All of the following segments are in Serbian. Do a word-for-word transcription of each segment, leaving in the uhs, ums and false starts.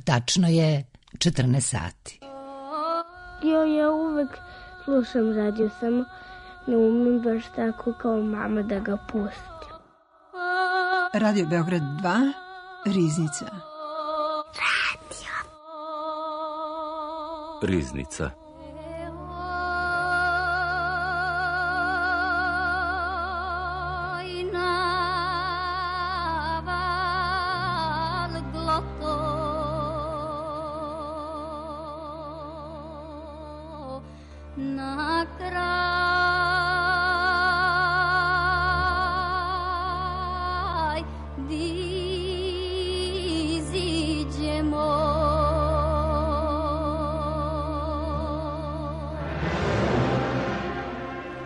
Tačno je četrnaest sati. Jo, ja uvek slušam radio, samo ne umem baš tako kao mama da ga pustim. Radio Beograd dva, Riznica. Radio. Riznica.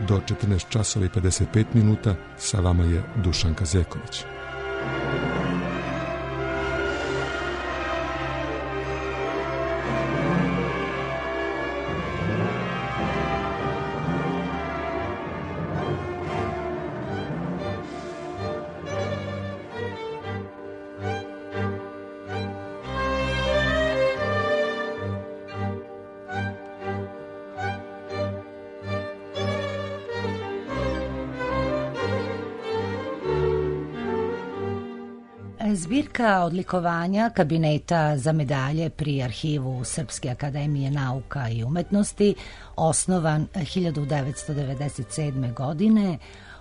Do četrnaest časova i pedeset pet minuta sa vama je Dušanka Zeković. Zbirka odlikovanja kabineta za medalje pri arhivu Srpske akademije nauka i umetnosti, osnovan hiljadu devetsto devedeset sedme. godine,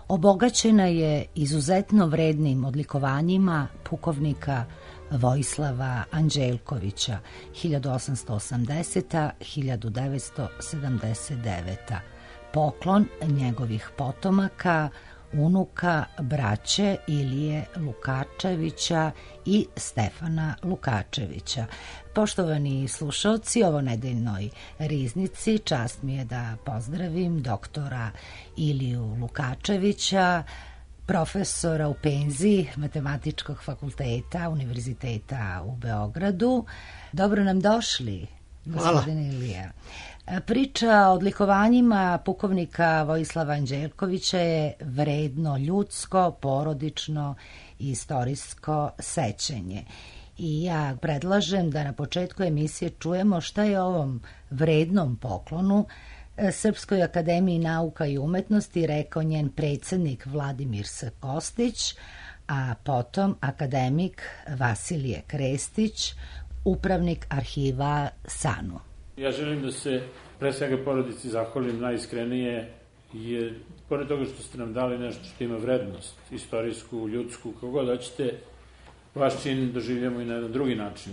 obogaćena je izuzetno vrednim odlikovanjima pukovnika Vojislava Anđelkovića hiljadu osamsto osamdesete do hiljadu devetsto sedamdeset devete. Poklon njegovih potomaka, unuka braće Ilije Lukačevića i Stefana Lukačevića. Poštovani slušalci, ovo nedeljnoj Riznici čast mi je da pozdravim doktora Iliju Lukačevića, profesora u penziji Matematičkog fakulteta Univerziteta u Beogradu. Dobro nam došli, gospodine Ilija. Priča o odlikovanjima pukovnika Vojislava Anđelkovića je vredno ljudsko, porodično i istorijsko sećanje. I ja predlažem da na početku emisije čujemo šta je ovom vrednom poklonu Srpskoj akademiji nauka i umetnosti rekao njen predsednik Vladimir S. Kostić, a potom akademik Vasilije Krestić, upravnik arhiva SANU. Ja želim da se pre svega porodici zahvalim najiskrenije, jer pored toga što ste nam dali nešto što ima vrednost, istorijsku, ljudsku, kako god hoćete, vaš čin doživljamo i na jedan drugi način,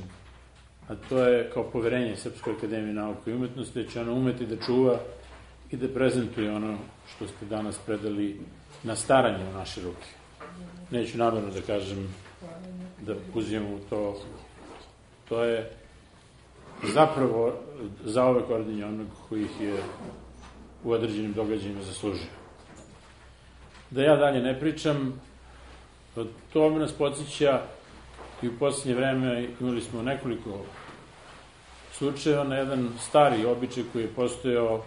a to je kao poverenje Srpskoj akademiji nauke i umetnosti, da će ona umeti da čuva i da prezentuje ono što ste danas predali na staranje u naše ruke. Neću namerno da kažem da uzimam u to, to je zapravo zaovek ordenje onog koji ih je u određenim događajima zaslužio. Da ja dalje ne pričam, to nas podsjeća i u posljednje vreme imali smo nekoliko slučajeva na jedan stari običaj koji je postojao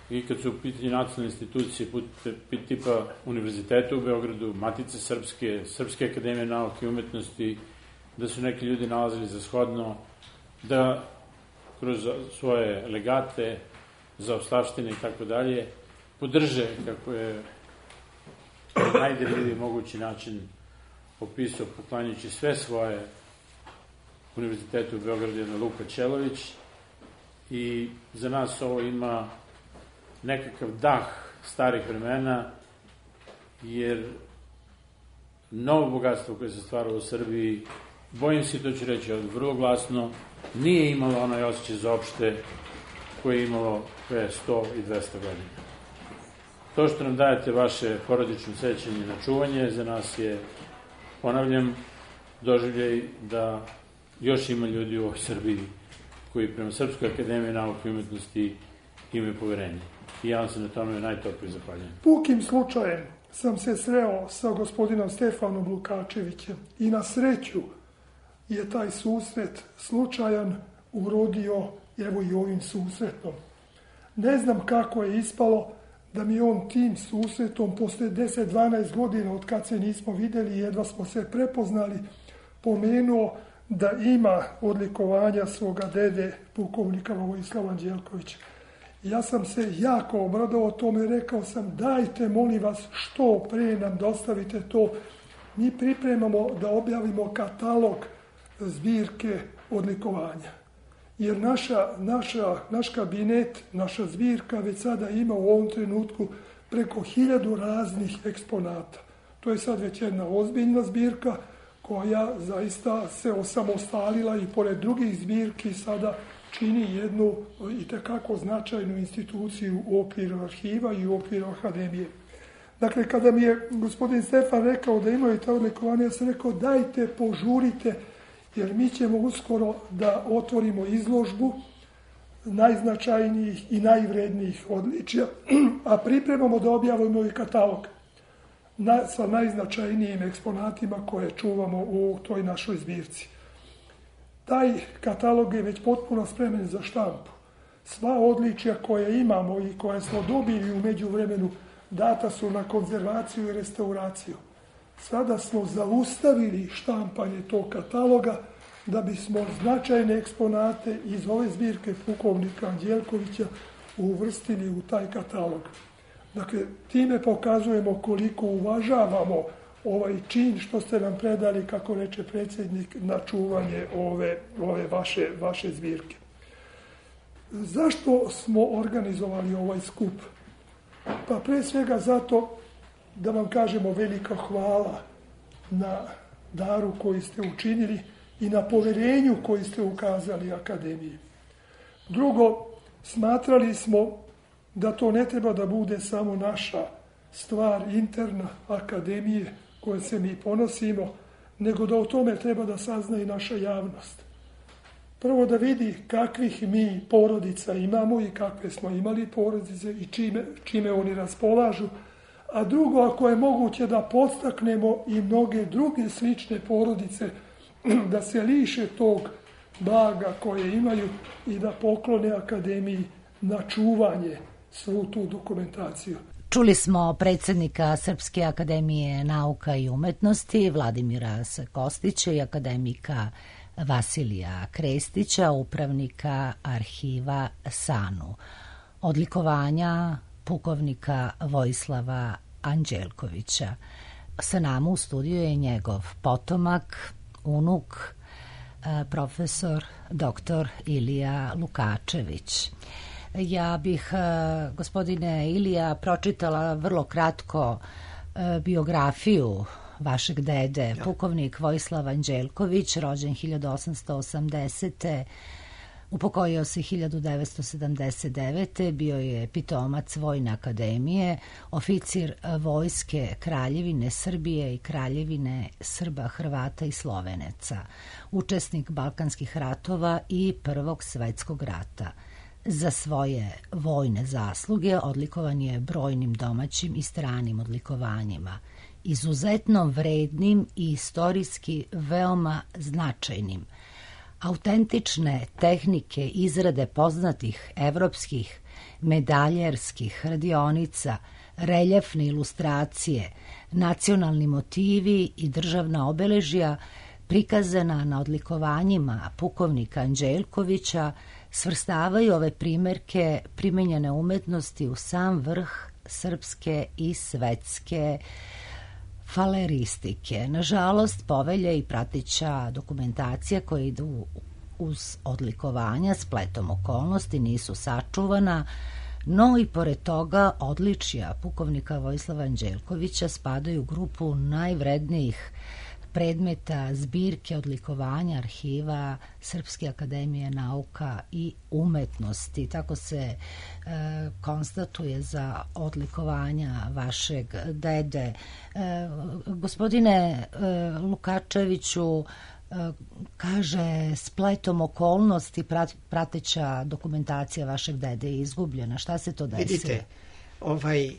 i kad su u pitanju nacionalne institucije tipa Univerziteta u Beogradu, Matice Srpske, Srpske akademije nauke i umetnosti, da su neki ljudi nalazili za shodno da kroz svoje legate, zaostavštine i tako dalje, podrže, kako je na najdirljiviji mogući način opisao, poklanjujući sve svoje Univerzitetu u Beogradu, jedna Luka Ćelović, i za nas ovo ima nekakav dah starih vremena, jer novo bogatstvo koje se stvaralo u Srbiji, bojim se, to ću reći vrlo glasno, nije imalo onaj osjećaj za opšte koje je imalo pre sto i dvesta godina. To što nam dajete vaše porodično sećanje na čuvanje, za nas je, ponavljam, doživljaj da još ima ljudi u ovoj Srbiji koji prema Srpskoj akademiji nauke i umetnosti imaju poverenje. I ja vam se na tome najtoplije zahvaljujem. Pukim slučajem sam se sreo sa gospodinom Stefanom Lukačevićem i na sreću je taj susret slučajan urodio evo i ovim susretom. Ne znam kako je ispalo da mi on tim susretom posle deset do dvanaest godina od kad se nismo videli, jedva smo se prepoznali, pomenuo da ima odlikovanja svoga dede, pukovnika Vojislava Anđelkovića. Ja sam se jako obradovao tome, rekao sam dajte molim vas što pre nam dostavite to. Mi pripremamo da objavimo katalog zbirke odlikovanja. Jer naša, naša, naš kabinet, naša zbirka već sada ima u ovom trenutku preko hiljadu raznih eksponata. To je sad već jedna ozbiljna zbirka koja zaista se osamostalila i pored drugih zbirki sada čini jednu itekako značajnu instituciju u okviru arhiva i u okviru akademije. Dakle, kada mi je gospodin Stefan rekao da imaju ta odlikovanja, ja sam rekao dajte, požurite, jer mi ćemo uskoro da otvorimo izložbu najznačajnijih i najvrednijih odličja, a pripremamo da objavimo i katalog na, sa najznačajnijim eksponatima koje čuvamo u toj našoj zbirci. Taj katalog je već potpuno spreman za štampu. Sva odličja koje imamo i koje smo dobili u međuvremenu data su na konzervaciju i restauraciju. Sada smo zaustavili štampanje tog kataloga da bismo značajne eksponate iz ove zbirke pukovnika Anđelkovića uvrstili u taj katalog. Dakle, time pokazujemo koliko uvažavamo ovaj čin što ste nam predali, kako reče predsjednik, na čuvanje ove, ove vaše, vaše zbirke. Zašto smo organizovali ovaj skup? Pa pre svega zato da vam kažemo velika hvala na daru koji ste učinili i na poverenju koji ste ukazali akademiji. Drugo, smatrali smo da to ne treba da bude samo naša stvar interna akademije koje se mi ponosimo, nego da o tome treba da sazna i naša javnost. Prvo da vidi kakvih mi porodica imamo i kakve smo imali porodice i čime, čime oni raspolažu, a drugo, ako je moguće da podstaknemo i mnoge druge slične porodice da se liše tog blaga koje imaju i da poklone akademiji na čuvanje svu tu dokumentaciju. Čuli smo predsjednika Srpske akademije nauka i umetnosti Vladimira Kostića i akademika Vasilija Krestića, upravnika arhiva SANU. Odlikovanja pukovnika Vojislava Anđelkovića. Sa nama u studiju je njegov potomak, unuk, profesor doktor Ilija Lukačević. Ja bih, gospodine Ilija, pročitala vrlo kratko biografiju vašeg dede, ja. Pukovnik Vojislav Anđelković, rođen hiljadu osamsto osamdesete. Upokojio se hiljadu devetsto sedamdeset devete. Bio je pitomac Vojne akademije, oficir Vojske Kraljevine Srbije i Kraljevine Srba, Hrvata i Sloveneca, učesnik Balkanskih ratova i Prvog svetskog rata. Za svoje vojne zasluge odlikovan je brojnim domaćim i stranim odlikovanjima, izuzetno vrednim i istorijski veoma značajnim. Autentične tehnike izrade poznatih evropskih medaljerskih radionica, reljefne ilustracije, nacionalni motivi i državna obeležja prikazana na odlikovanjima pukovnika Anđelkovića svrstavaju ove primerke primenjene umetnosti u sam vrh srpske i svetske faleristike. Nažalost, povelje i prateća dokumentacija koje idu uz odlikovanja spletom okolnosti nisu sačuvana, no i pored toga odličja pukovnika Vojislava Anđelkovića spadaju u grupu najvrednijih predmeta zbirke odlikovanja arhiva Srpske akademije nauka i umetnosti. Tako se e, konstatuje za odlikovanja vašeg dede. E, gospodine e, Lukačeviću, e, kaže spletom okolnosti prat, prateća dokumentacija vašeg dede je izgubljena. Šta se to desilo? Vidite, ovaj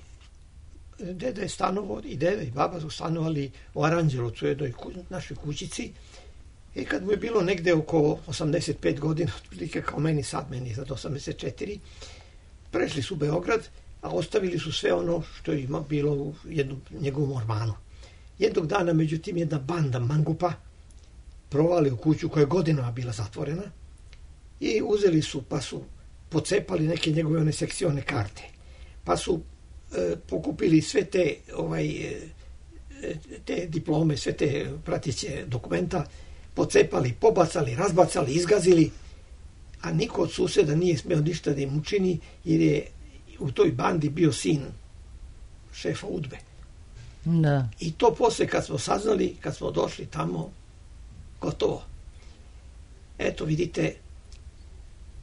deda je stanovo, i deda i baba su stanovali u Aranđelovcu, u jednoj ku, našoj kućici. I kad mu je bilo negde oko osamdeset pet godina, otprilike kao meni sad, meni je sad osamdeset četiri, prešli su u Beograd, a ostavili su sve ono što je ima bilo u jednom njegovom ormanu. Jednog dana, međutim, jedna banda mangupa provali u kuću koja je godinama bila zatvorena i uzeli su, pa su pocepali neke njegove one sekcione karte. Pa su e, pokupili sve te, ovaj, e, te diplome, sve te prateće dokumenta, pocepali, pobacali, razbacali, izgazili, a niko od suseda nije smeo ništa da im učini, jer je u toj bandi bio sin šefa udbe. Da. I to posle kad smo saznali, kad smo došli tamo, gotovo. Eto, vidite,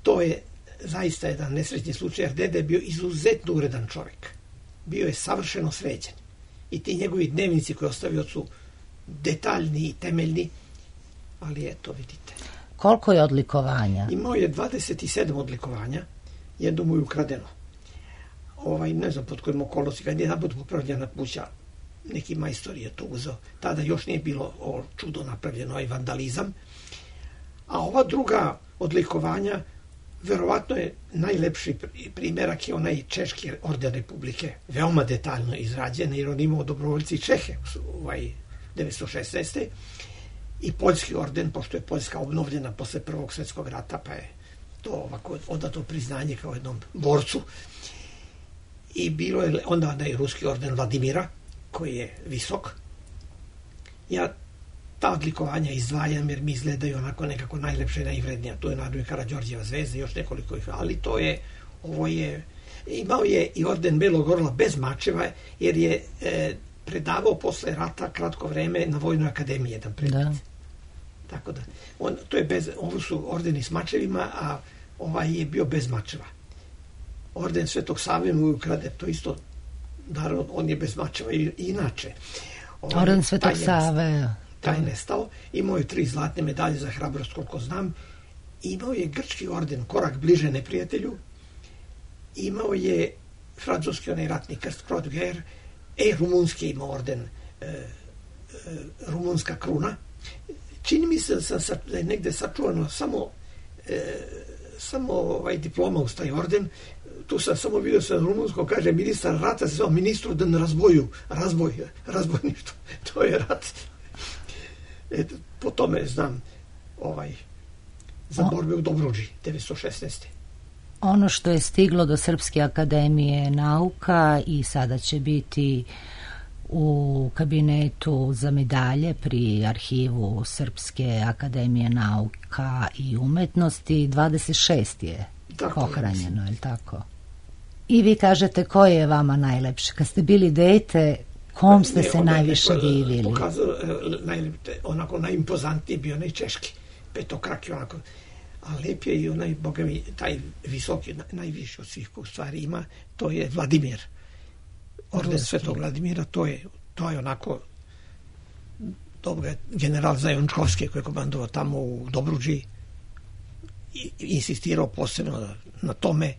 to je zaista jedan nesrećni slučaj, jer dede je bio izuzetno uredan čovjek. Bio je savršeno sređen. I ti njegovi dnevnici koje ostavio su detaljni i temeljni, ali eto, vidite. Koliko je odlikovanja? Imao je dvadeset sedam odlikovanja, jedno mu je ukradeno. Ovaj, ne znam pod kojim okolnosti, kad je napod popravljena kuća, neki majstor je to uzeo. Tada još nije bilo o čudo napravljeno, ovaj vandalizam. A ova druga odlikovanja, verovatno je najlepši primjerak je onaj Češki orden Republike, veoma detaljno izrađen, jer on imao dobrovoljci Čehe, ovaj, devetsto šesnaeste. I Poljski orden, pošto je Poljska obnovljena posle Prvog svjetskog rata, pa je to ovako odato priznanje kao jednom borcu. I bilo je onda onaj Ruski orden Vladimira, koji je visok. Ja ta odlikovanja izdvajam jer mi izgledaju onako nekako najlepše i najvrednija. To je naravno Karađorđeva zvezda i još nekoliko ih, ali to je, ovo je, imao je i orden Belog orla bez mačeva, jer je e, predavao posle rata kratko vreme na Vojnoj akademiji jedan predmet. Da. Tako da, on, to je bez, ovo su ordeni s mačevima, a ovaj je bio bez mačeva. Orden Svetog Save mu ukrade, to isto, naravno, on je bez mačeva i, i inače. Ovaj, Orden Svetog Save. Taj je nestao. Imao je tri zlatne medalje za hrabrost, koliko znam. Imao je grčki orden, korak bliže neprijatelju. Imao je francuski onaj ratni krst, Croix de Guerre. E, rumunski imao orden, e, e, rumunska kruna. Čini mi se da, sam, da je negde sačuvano samo, e, samo ovaj diploma uz taj orden. Tu sam samo vidio sa rumunsko, kaže ministar rata, se zvao ministru da ne razboju, razboj, razbojništvo. To je rat. E, po tome znam ovaj, za borbe u Dobruđi, devetsto šesnaeste. Ono što je stiglo do Srpske akademije nauka i sada će biti u kabinetu za medalje pri arhivu Srpske akademije nauka i umetnosti, dvadeset šest je tako pohranjeno, je li tako? I vi kažete koje je vama najlepše? Kad ste bili dete, kom ste ne, se najviše ne, divili? Pokazao, najlepše, onako najimpozantniji bio onaj češki, petokraki onako, a lep je i onaj, boga mi, taj visoki, najviši od svih u stvari ima, to je Vladimir. Orden Ruski. Svetog Vladimira, to je, to je onako dobro, general Zajončkovski koji je komandovao tamo u Dobruđi i insistirao posebno na, na tome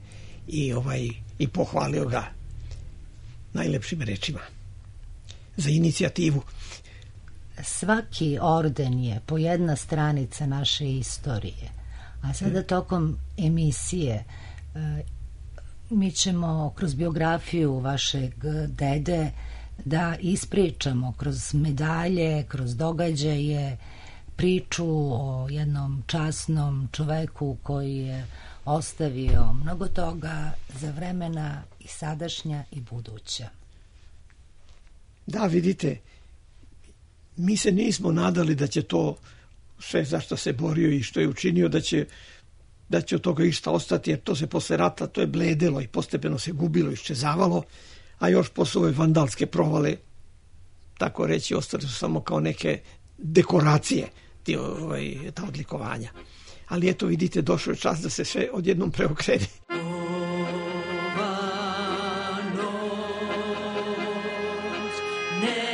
i ovaj i pohvalio ga najlepšim rečima za inicijativu. Svaki orden je po jedna stranica naše istorije, a sada tokom emisije mi ćemo kroz biografiju vašeg dede da ispričamo kroz medalje, kroz događaje, priču o jednom časnom čoveku koji je ostavio mnogo toga za vremena i sadašnja i buduća. Da, vidite, mi se nismo nadali da će to sve za što se borio i što je učinio, da će, da će od toga išta ostati, jer to se posle rata, to je bledelo i postepeno se gubilo, iščezavalo, a još posle ove vandalske provale, tako reći, ostali su samo kao neke dekoracije, ti, ovaj, ta odlikovanja. Ali eto, vidite, došao je čas da se sve odjednom preokrene. Me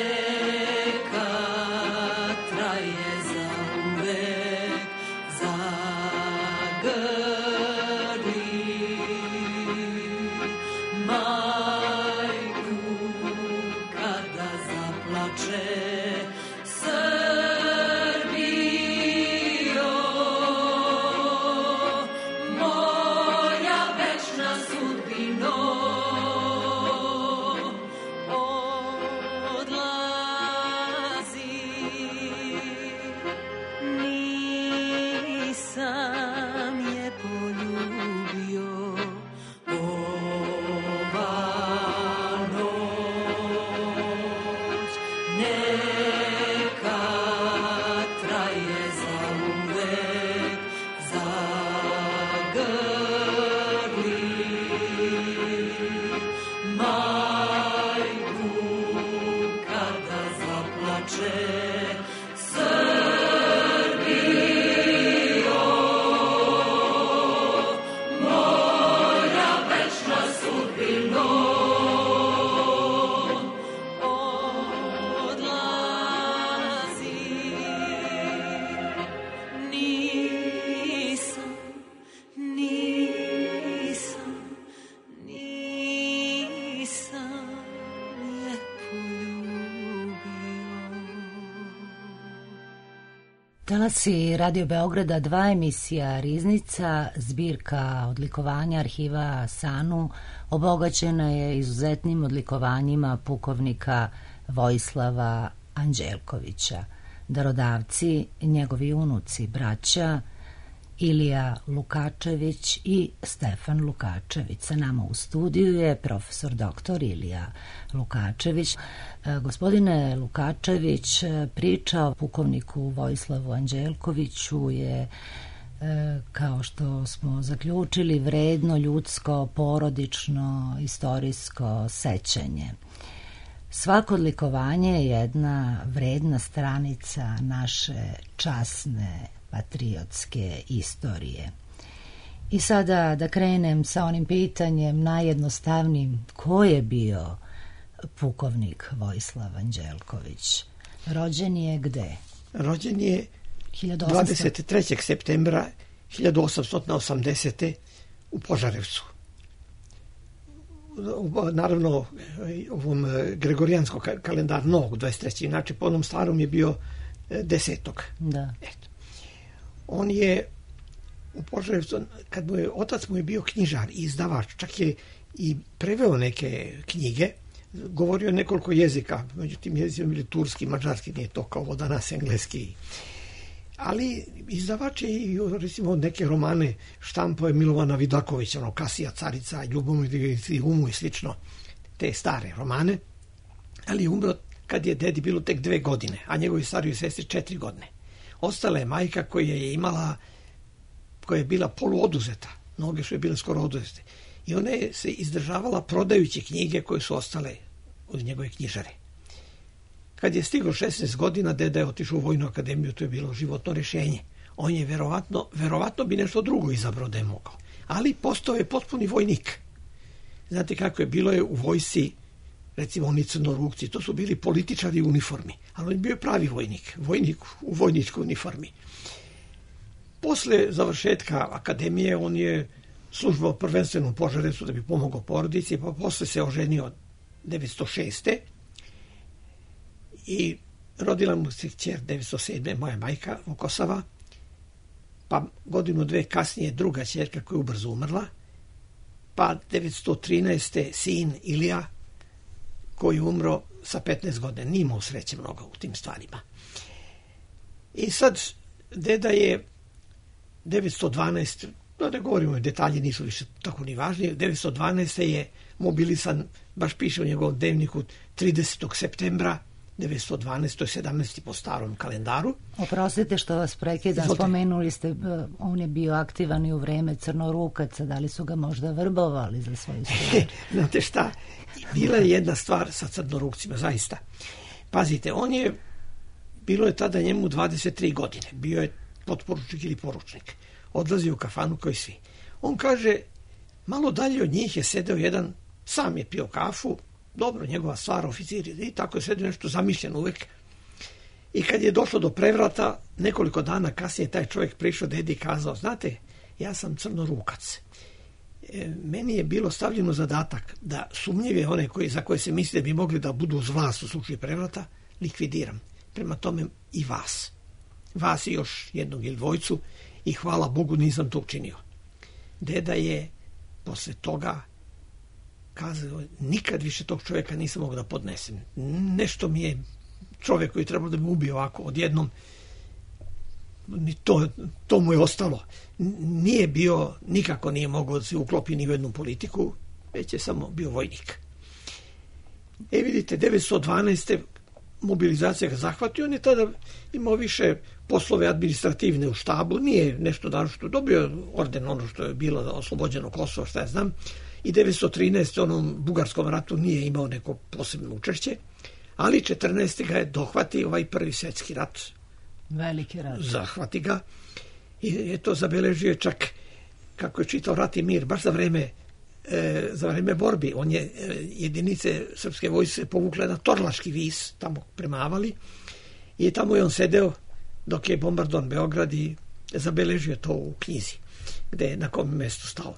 Talasi Radio Beograda dva, emisija Riznica, zbirka odlikovanja arhiva SANU obogaćena je izuzetnim odlikovanjima pukovnika Vojislava Anđelkovića. Darodavci, njegovi unuci, braća Ilija Lukačević i Stefan Lukačević. Sa nama u studiju je profesor doktor Ilija Lukačević. Gospodine Lukačević, priča o pukovniku Vojislavu Anđelkoviću je, kao što smo zaključili, vredno, ljudsko, porodično, istorijsko sećanje. Svako odlikovanje je jedna vredna stranica naše časne patriotske istorije. I sada da krenem sa onim pitanjem najjednostavnijim, ko je bio pukovnik Vojislav Anđelković? Rođen je gde? Rođen je dvadeset trećeg septembra hiljadu osamsto osamdesete. u Požarevcu. Naravno, ovom gregorijanskom kalendaru novog dvadeset trećeg Inače, po onom starom je bio desetog Da. Eto. On je u Požarevcu, kad mu je, otac mu je bio knjižar i izdavač, čak je i preveo neke knjige, govorio nekoliko jezika, međutim jezicom bili turski, mađarski, nije to kao ovo danas engleski. Ali izdavač je i, recimo, neke romane štampao je Milovana Vidakovića, ono, Kasija, Carica, Ljubomir i Umu i slično, te stare romane, ali je umro kad je dedi bilo tek dve godine, a njegovi stariji sestri četiri godine. Ostala je majka koja je imala, koja je bila poluoduzeta, noge su je bile skoro oduzete. I ona je se izdržavala prodajući knjige koje su ostale od njegove knjižare. Kad je stiglo šesnaest godina, deda je otišao u Vojnu akademiju, to je bilo životno rješenje. On je verovatno, verovatno bi nešto drugo izabrao da je mogao. Ali postao je potpuni vojnik. Znate kako je, bilo je u vojsci, recimo oni crnorukci, to su bili političari u uniformi, ali on je bio pravi vojnik, vojnik u vojničkoj uniformi. Posle završetka akademije on je službao prvenstveno u Požarevcu da bi pomogao porodici, pa posle se oženio devetsto šeste. i rodila mu se kćer devetsto sedme. moja majka Vukosava, pa godinu dve kasnije druga ćerka koja je ubrzo umrla, pa devetsto trinaeste sin Ilija koji je umro sa petnaest godina, nije imao sreće mnogo u tim stvarima. I sad deda je devetsto dvanaeste. Da ne govorimo, detalji nisu više tako ni važni, devetsto dvanaeste. je mobilisan, baš piše u njegovom dnevniku, tridesetog septembra devetsto dvanaeste. to je sedamnaesti po starom kalendaru. Oprostite što vas prekidam, spomenuli ste, on je bio aktivan i u vreme crnorukaca, da li su ga možda vrbovali za svoju stvar? Znate šta, bila je jedna stvar sa crnorukcima, zaista. Pazite, on je, bilo je tada njemu dvadeset tri godine, bio je potporučnik ili poručnik, odlazio u kafanu kao i svi. On kaže, malo dalje od njih je sedeo jedan, sam je pio kafu, dobro, njegova stvar, oficir, i tako je sedio nešto zamišljen uvek. I kad je došlo do prevrata, nekoliko dana kasnije taj čovjek prišao dedi i kazao, znate, ja sam crnorukac. E, meni je bilo stavljeno zadatak da sumnjive one koji, za koje se misli da bi mogli da budu uz vlast u slučaju prevrata, likvidiram. Prema tome i vas. Vas i još jednog ili dvojcu, i hvala Bogu nisam to učinio. Deda je posle toga kazao, nikad više tog čovjeka nisam mogao da podnesem. Nešto mi je čovjek koji je trebalo da me ubije ovako odjednom, to, to mu je ostalo. Nije bio, nikako nije mogao da se uklopi ni u jednu politiku, već je samo bio vojnik. E vidite, devetsto dvanaeste. mobilizacija ga zahvati, on je tada imao više poslove administrativne u štabu, nije nešto naročito, dobio orden ono što je bilo oslobođeno Kosovo, šta ja znam, i devetsto trinaeste. onom bugarskom ratu nije imao neko posebno učešće, ali četrnaeste. ga je dohvati ovaj prvi svjetski rat. Veliki rat. Zahvati ga i je to zabeležio čak, kako je čitao Rat i mir, baš za vreme e, za vreme borbi. On je, e, jedinice srpske vojske se povukle na Torlaški vis, tamo premavali, i tamo je on sedeo dok je bombardovan Beograd i zabeležio to u knjizi, gde je na kom mjestu stao.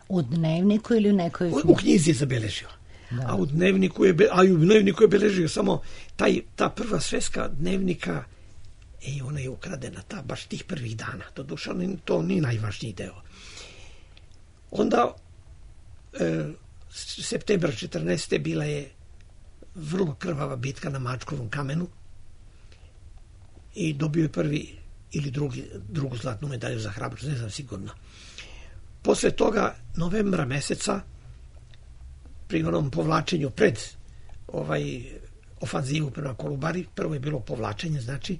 U dnevniku ili u nekoj knjizi? U knjizi je zabeležio. Da. A u dnevniku je, a u dnevniku je beležio samo taj, ta prva sveska dnevnika, i ona je ukradena, ta, baš tih prvih dana. To duša, to nije najvažniji deo. Onda, e, septembar četrnaeste. bila je vrlo krvava bitka na Mačkovom kamenu i dobio je prvi ili drugi, drugu zlatnu medalju za hrabrost, ne znam sigurno. Posle toga, novembra meseca, pri onom povlačenju pred ovaj ofanzivu prema Kolubari, prvo je bilo povlačenje, znači,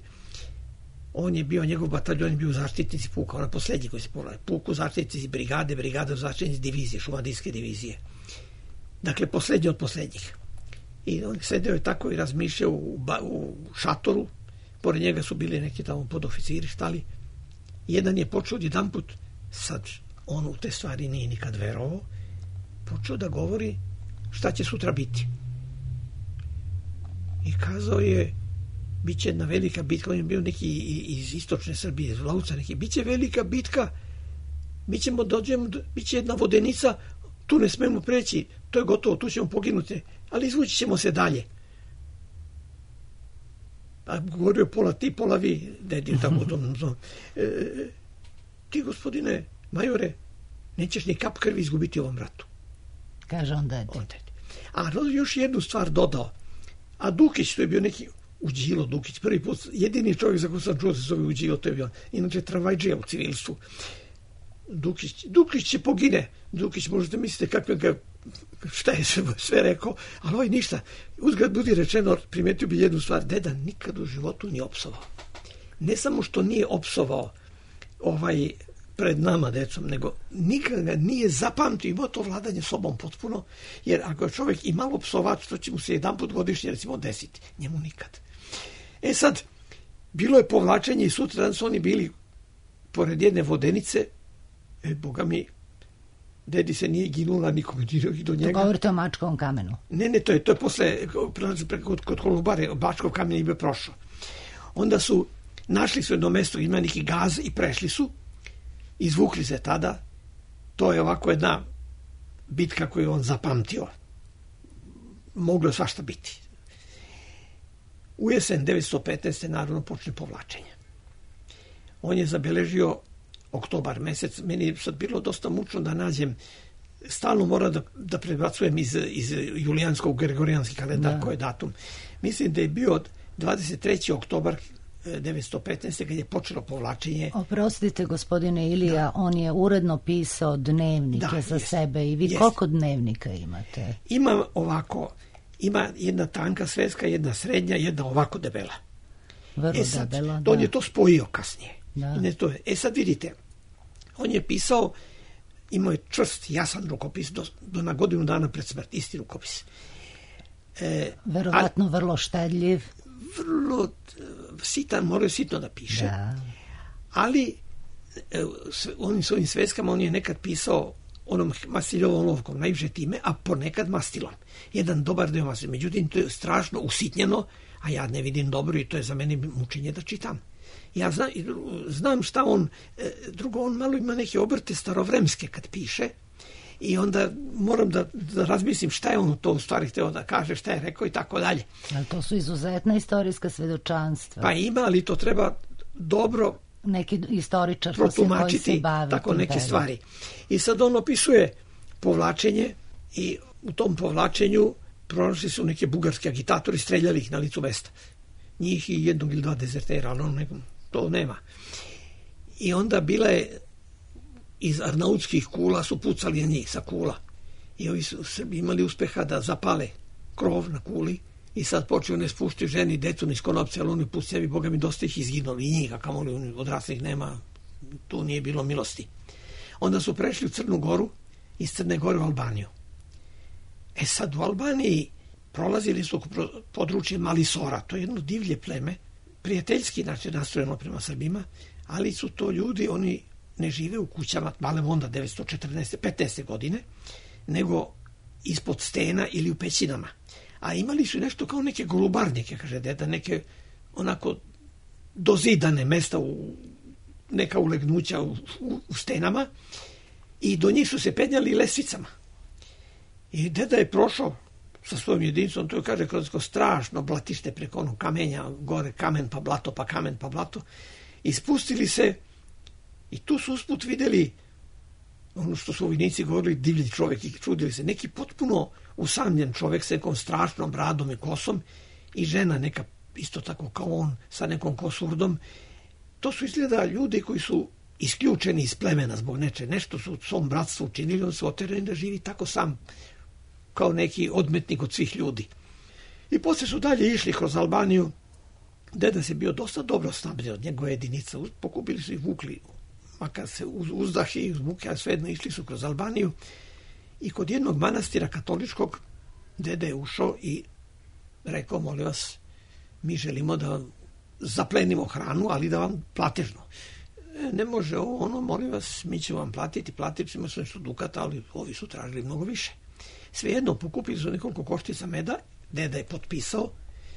on je bio, njegov bataljon je bio zaštitnici puka, ona posljednji koji se povlači, puku zaštitnici brigade, brigade zaštitnici divizije, šumadijske divizije. Dakle, posljednji od posljednjih. I on sedeo je tako i razmišljao u, u šatoru, pored njega su bili neki tamo podoficiri, štali. Jedan je počeo jedan put, sad on u te stvari nije nikad verovao, počeo da govori šta će sutra biti. I kazao je, bit će jedna velika bitka, on je bio neki iz istočne Srbije, iz Vlauca neki, bit će velika bitka, mi ćemo dođemo, bit će jedna vodenica, tu ne smemo preći, to je gotovo, tu ćemo poginuti, ali izvući ćemo se dalje. A govorio pola ti, pola vi, dedi, tako to, e, ti, gospodine majore, nećeš ni kap krvi izgubiti u ovom ratu. Kaže on dedi. On dedi. A još jednu stvar dodao, a Dukić, to je bio neki Uđilo Dukić, prvi put, jedini čovjek za koju sam čuo se zove Uđilo, to je bio, inače tramvajđija u civilstvu. Dukić, Dukić će pogine. Dukić, možete mislite kakve ga, šta je sve, sve rekao, ali ovaj ništa. Uzgled budi rečeno, primetio bi jednu stvar, deda nikad u životu nije opsovao. Ne samo što nije opsovao ovaj pred nama, decom, nego nikad ga nije zapamtio, imao to vladanje sobom potpuno, jer ako je čovjek i malo psovač, to će mu se jedan put godišnje, recimo, desiti. Njemu nikad. E sad, bilo je povlačenje i sutra su oni bili pored jedne vodenice, e, boga mi, dedi se nije ginula nikoga do njega. To govorite o Mačkovom kamenu? Ne, ne, to je, to je posle, kod, kod Kolubare, Mačkov kamen je bio prošao. Onda su, našli su jedno mesto, ima neki gaz i prešli su, izvukli se tada, to je ovako jedna bitka koju on zapamtio. Moglo je svašta biti. U jesen devetsto petnaeste. naravno počne povlačenje. On je zabeležio oktobar mesec, meni je sad bilo dosta mučno da nađem, stalno mora da, da prebacujem iz, iz julijanskog gregorijanski kalendar, koji je datum. Mislim da je bio dvadeset treći oktobar devetsto petnaeste. kad je počelo povlačenje. Oprostite, gospodine Ilija, da. On je uredno pisao dnevnike da, za jest, sebe i vi jest. Koliko dnevnika imate? Imam ovako, ima jedna tanka sveska, jedna srednja, jedna ovako debela. Vrlo e sad, debela, on da. je to spojio kasnije. Da. Ne to je. E sad vidite, on je pisao, imao je čvrst, jasan rukopis do, do na godinu dana pred smrt, isti rukopis. E, Verovatno ali, vrlo štedljiv. Vrlo sitan, morao je sitno da piše. Da. Ali onim svojim sveskama on je nekad pisao onom mastiljovom olovkom, najviše time, a ponekad mastilom. Jedan dobar deo mastilom. Međutim, to je strašno usitnjeno, a ja ne vidim dobro i to je za mene mučenje da čitam. Ja znam, znam šta on, drugo, on malo ima neke obrte starovremske kad piše i onda moram da, da razmislim šta je on to u stvari hteo da kaže, šta je rekao i tako dalje. Ali to su izuzetna istorijska svedočanstva. Pa ima, ali to treba dobro neki istoričar protumačiti, koji se bavi tako neke period. stvari. I sad on opisuje povlačenje i u tom povlačenju pronašli su neke bugarski agitatori, streljali ih na licu mesta. Njih i jednog ili dva dezertera, ali on nekom, to nema. I onda bila je iz arnautskih kula su pucali na njih sa kula. I ovi su Srbi imali uspeha da zapale krov na kuli i sad počeo ne spušti ženi, decu niz konopce, ali oni pusti sebi, Boga mi dosta ih izginuli, i njih, a kamoli odraslih nema, tu nije bilo milosti. Onda su prešli u Crnu Goru, iz Crne Gore u Albaniju. E sad u Albaniji prolazili su područje Malisora, to je jedno divlje pleme, prijateljski znači nastrojeno prema Srbima, ali su to ljudi, oni ne žive u kućama male onda devetsto četrnaeste petnaeste godine, nego ispod stena ili u pećinama. A imali su nešto kao neke golubarnike, kaže deda, neke onako dozidane mesta, u, neka ulegnuća u, u, u stenama, i do njih su se penjali lesvicama. I deda je prošao sa svojom jedinicom, to je, kaže, kroz strašno blatište preko onog kamenja, gore kamen pa blato, pa kamen pa blato, i spustili se, i tu su usput videli ono što su vojnici govorili, divlji čovjek, i čudili se, neki potpuno usamljen čovjek sa nekom strašnom bradom i kosom, i žena neka isto tako kao on sa nekom kosurdom. To su izgleda ljudi koji su isključeni iz plemena zbog neče, nešto su svom bratstvu učinili, on su oterani da živi tako sam, kao neki odmetnik od svih ljudi. I poslije su dalje išli kroz Albaniju. Deda se bio dosta dobro snabdeo od njegove jedinica, pokupili su i vukli, makar se uz, uzdahi i uzmuke, a svejedno išli su kroz Albaniju, i kod jednog manastira katoličkog deda je ušao i rekao, molim vas, mi želimo da zaplenimo hranu, ali da vam platežno. E, ne može ovo, ono, molim vas, mi ćemo vam platiti, platit ćemo se nešto dukata, ali ovi su tražili mnogo više. Svejedno, pokupili su nekoliko koštica meda, deda je potpisao,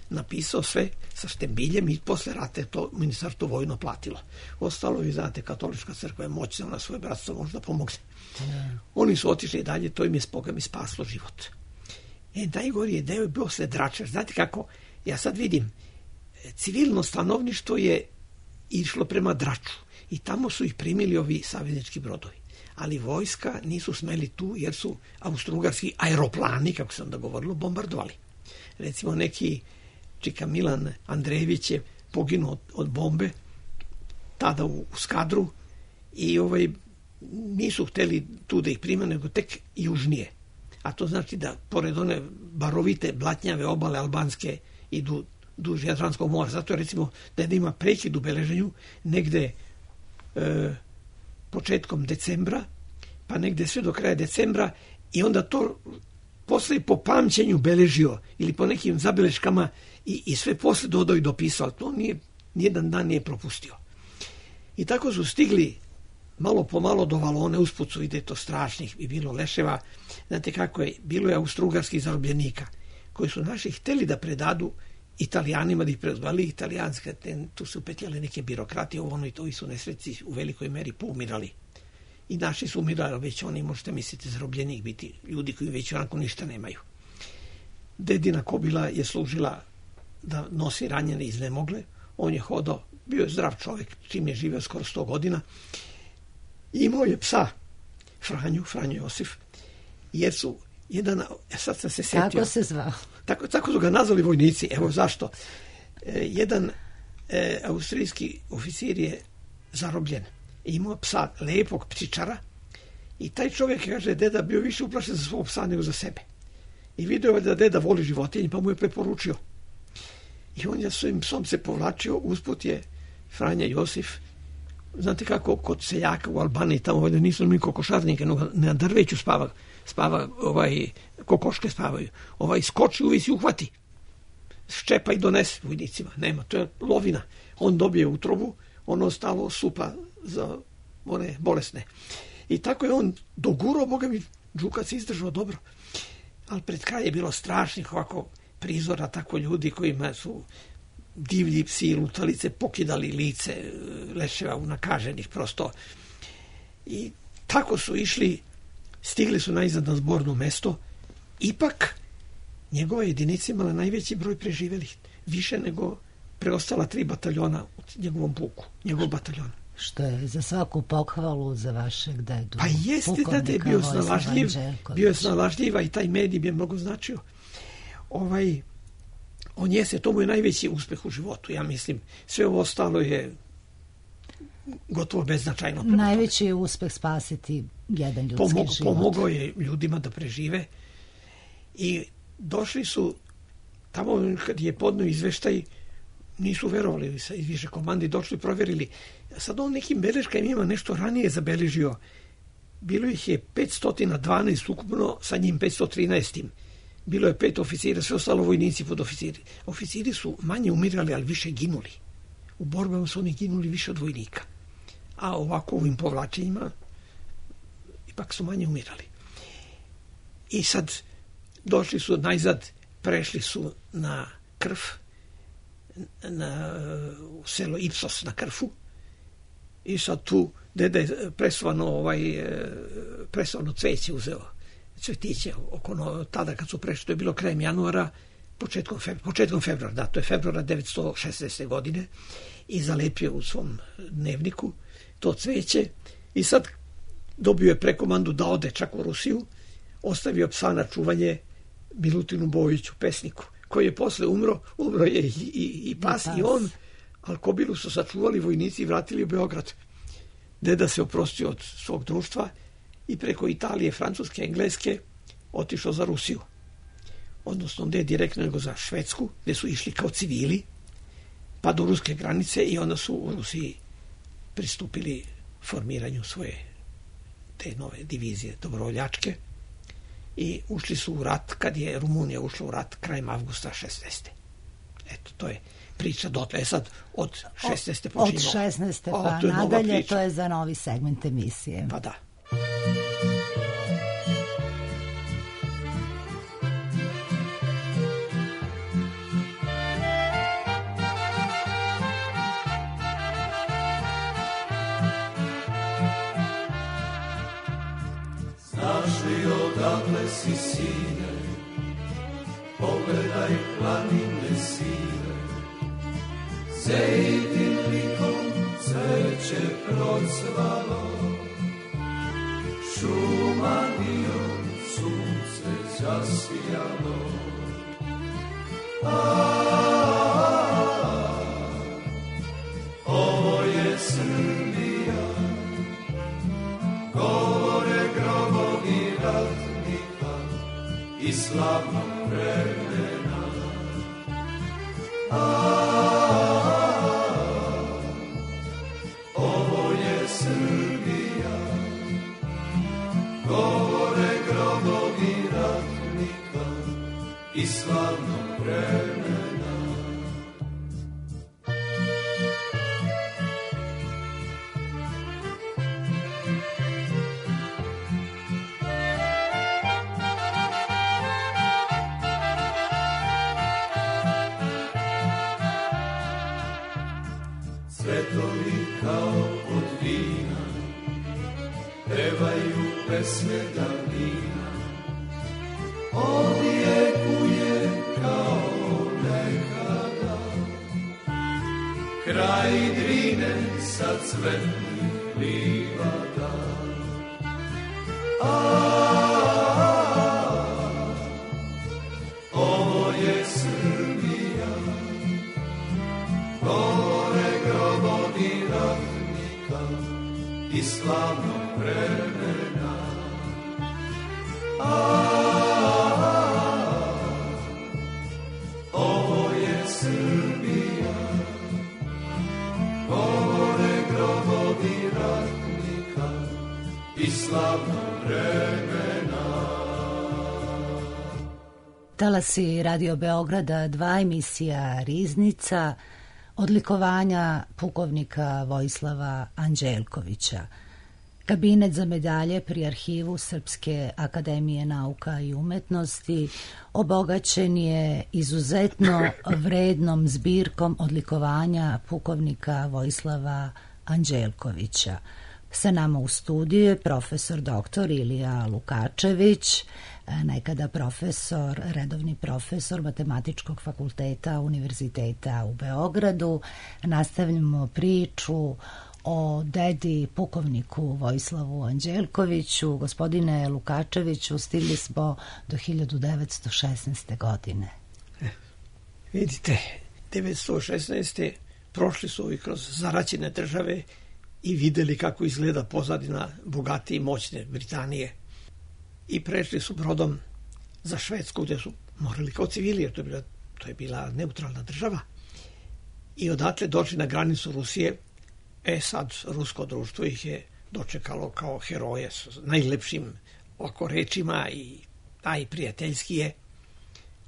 napisao sve sa štembiljem, i posle rata je to ministarstvo vojno platilo. Ostalo, vi znate, katolička crkva je moćna, ona svoje bratstvo možda pomogne. Yeah. Oni su otišli dalje, to im je Boga mi spaslo život. E, najgori je deo je bio sled Drača. Znate kako, ja sad vidim, civilno stanovništvo je išlo prema Draču i tamo su ih primili ovi saveznički brodovi. Ali vojska nisu smeli tu, jer su austrougarski aeroplani, kako se onda govorilo, bombardovali. Recimo neki čika Milan Andrejević je poginuo od, od bombe tada u, u Skadru, i ovaj, nisu hteli tu da ih prima, nego tek južnije. A to znači da pored one barovite blatnjave obale albanske idu duž Jadranskog mora. Zato je, recimo, da ima prekid u beleženju negde e, početkom decembra, pa negde sve do kraja decembra, i onda to posle po pamćenju beležio ili po nekim zabeleškama, i, i sve posle dodao i dopisao, ali to nije, nijedan dan nije propustio. I tako su stigli malo po malo do Valone, usput su ide to strašnih i bilo leševa. Znate kako je, bilo je austrougarskih zarobljenika koji su naši hteli da predadu Italijanima, da ih predali italijanske, tu su upetljali neke birokrati, ovo ono i to, i su nesreći u velikoj meri poumirali. I naši su umirali, već oni, možete misliti, zarobljenik biti ljudi koji već onako ništa nemaju. Dedina kobila je služila da nosi ranjene iznemogle, on je hodao, bio je zdrav čovjek, čim je živio skoro sto godina, i imao je psa, Franju, Franjo Josif, jer su jedan, sad sam se setio. Kako se zvao? Tako, tako su ga nazvali vojnici, evo zašto. E, jedan e, austrijski oficir je zarobljen, imao psa, lepog ptičara, i taj čovjek, kaže, deda bio više uplašen za svog psa nego za sebe. I vidio je da deda voli životinje, pa mu je preporučio. I on je svojim psom se povlačio, usput je Franja Josif, znate kako, kod seljaka u Albaniji, tamo ovdje nisu ni kokošarnike, no na drveću spava, spava, ovaj, kokoške spavaju. Ovaj skoči, uvisi, uhvati, ščepa i donese vojnicima. Nema, to je lovina. On dobije utrobu, ono ostalo supa za one bolesne. I tako je on dogurao, Boga mi, Đukac izdržao dobro. Ali pred kraj je bilo strašnih ovako prizora, tako ljudi kojima su divlji psi lutalice pokidali lice leševa unakaženih prosto. I tako su išli, stigli su najzad na zborno mesto. Ipak njegova jedinica imala najveći broj preživelih, više nego preostala tri bataljona u njegovom puku, njegov bataljon. Što je za svaku pohvalu za vašeg dedu. Pa jeste da je bio snalažljiv, bio je snalažljiva, i taj medij bi je mnogo značio. Ovaj, on jeste, to mu je najveći uspeh u životu, ja mislim. Sve ovo ostalo je gotovo beznačajno. Najveći je uspeh spasiti jedan ljudski Pomog, život. Pomogao je ljudima da prežive, i došli su tamo kad je podneo izveštaj, nisu verovali, sa iz više komandi došli, provjerili. Sad on nekim beleškama ima nešto ranije zabeležio. Bilo ih je petsto dvanaest ukupno, sa njim petsto trinaest. Bilo je pet oficira, sve ostalo vojnici pod oficiri. Oficiri su manje umirali, ali više ginuli. U borbama su oni ginuli više od vojnika. A ovako u ovim povlačenjima ipak su manje umirali. I sad došli su najzad, prešli su na Krf, na u selo Ipsos na Krfu, i sad tu deda je presovano, ovaj, presovano cveće uzeo, cvetiće oko no, tada kad su prešli, to je bilo krajem januara, početkom, februara, početkom februara, da, to je februara devetsto šesnaeste. godine, i zalepio u svom dnevniku to cveće, i sad dobio je prekomandu da ode čak u Rusiju, ostavio psa na čuvanje Milutinu Bojiću, pesniku, koji je posle umro, umro je i, i, i pas i on, ali kobilu su sačuvali vojnici i vratili u Beograd. Deda se oprostio od svog društva i preko Italije, Francuske, Engleske otišao za Rusiju. Odnosno, ne direktno, nego za Švedsku, gde su išli kao civili, pa do ruske granice, i onda su u Rusiji pristupili formiranju svoje te nove divizije dobrovoljačke i ušli su u rat kad je Rumunija ušla u rat krajem avgusta šesnaeste. Eto, to je priča dotle. Sad od šesnaeste počinimo. Od šesnaeste pa o, nadalje, to je za novi segment emisije. Pa da. Znaš li odakle si, sine, pogledaj planine sive, Zejtin likom cveće procvalo, šuma dio sunce zasijalo. A, ovo je Srbija, govore grobovi ratnika i slavnog vremena. A, ovo je Srbija, govore grobovi ratnika i slavnog vremena. Cvetovi kao od vina pevaju pesme davnina, odjekuje kao nekada kraj Drine sa cvetnih livada. A, ovo je Srbija, govore grobovi ratnika i slavnog vremena. A, ovo je Srbija, govore grobovi ratnika i slavnog vremena. Talasi Radio Beograda dva, emisija Riznica, odlikovanja pukovnika Vojislava Anđelkovića. Kabinet za medalje pri Arhivu Srpske akademije nauka i umetnosti obogaćen je izuzetno vrednom zbirkom odlikovanja pukovnika Vojislava Anđelkovića. Sa nama u studiju je profesor doktor Ilija Lukačević, nekada profesor, redovni profesor Matematičkog fakulteta Univerziteta u Beogradu. Nastavljamo priču o dedi pukovniku Vojislavu Anđelkoviću. Gospodine Lukačeviću, stigli smo do hiljadu devetsto šesnaeste. godine. E, vidite, devetsto šesnaeste. prošli su ovi kroz zaraćene države i videli kako izgleda pozadina bogate i moćne Britanije. I prešli su brodom za Švedsku, gde su morali kao civili, jer to je bila to je bila neutralna država, i odatle došli na granicu Rusije. E sad, rusko društvo ih je dočekalo kao heroje s najlepšim oko rečima i najprijateljski je.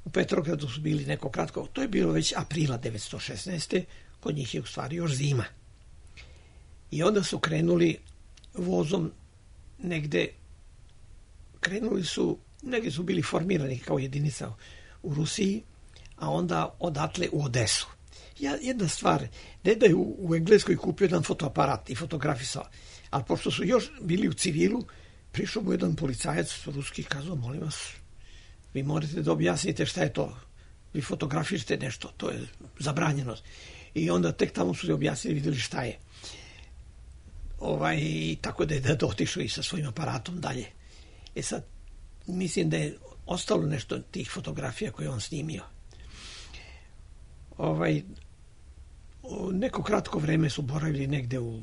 U Petrogradu su bili neko kratko, to je bilo već aprila devetsto šesnaeste. Kod njih je u stvari još zima. I onda su krenuli vozom negde, krenuli su, negde su bili formirani kao jedinica u Rusiji, a onda odatle u Odesu. Ja, jedna stvar, deda je u, u Engleskoj kupio jedan fotoaparat i fotografisao, ali pošto su još bili u civilu, prišao mu jedan policajac ruski i kazao, molim vas, vi morate da objasnite šta je to, vi fotografišite nešto, to je zabranjeno. I onda tek tamo su se objasnili, vidjeli šta je. Ovaj, tako da je da otišao i sa svojim aparatom dalje. E sad, mislim da je ostalo nešto tih fotografija koje on snimio. Ovaj, neko kratko vreme su boravili negde u